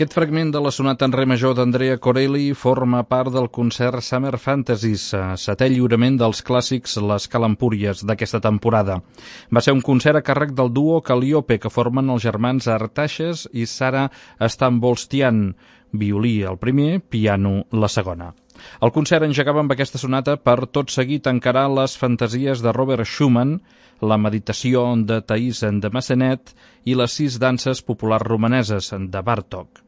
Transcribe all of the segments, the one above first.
Aquest fragment de la sonata en re major d'Andrea Corelli forma part del concert Summer Fantasies, setè lliurament dels clàssics Les Calempúries d'aquesta temporada. Va ser un concert a càrrec del duo Calliope, que formen els germans Artaxes i Sara Stambolstian, violí el primer, piano la segona. El concert engegava amb aquesta sonata per tot seguit encarar les fantasies de Robert Schumann, la meditació de Thais de Massenet i les 6 danses populars romaneses de Bartók.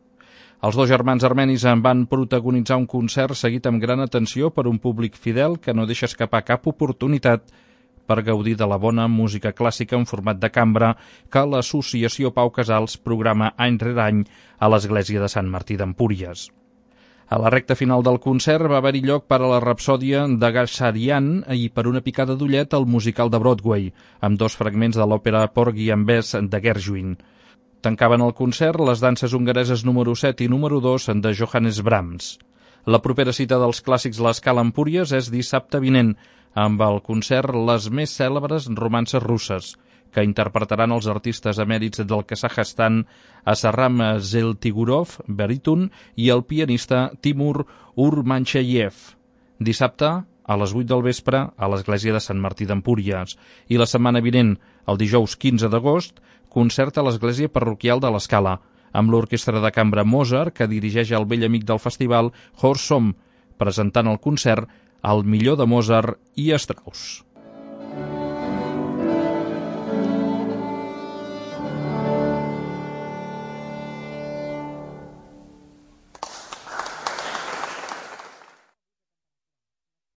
Els dos germans armenis en van protagonitzar un concert seguit amb gran atenció per un públic fidel que no deixa escapar cap oportunitat per gaudir de la bona música clàssica en format de cambra que l'Associació Pau Casals programa any rere any a l'església de Sant Martí d'Empúries. A la recta final del concert va haver-hi lloc per a la rapsòdia de Ghazarian i per una picada d'ullet al musical de Broadway, amb 2 fragments de l'òpera Porgy and Bess de Gershwin. Tancaven el concert les danses hongareses número 7 i número 2 de Johannes Brahms. La propera cita dels clàssics Les Calempúries és dissabte vinent, amb el concert Les més cèlebres romances russes, que interpretaran els artistes emèrits del Kazakhstan Assaram Zeltigurov, baríton, i el pianista Timur Urmancheyev. Dissabte, a les 8 del vespre, a l'església de Sant Martí d'Empúries. I la setmana vinent, el dijous 15 d'agost, concert a l'església parroquial de l'Escala, amb l'orquestra de cambra Mozart, que dirigeix el vell amic del festival, Horst Somm, presentant el concert al millor de Mozart i Strauss.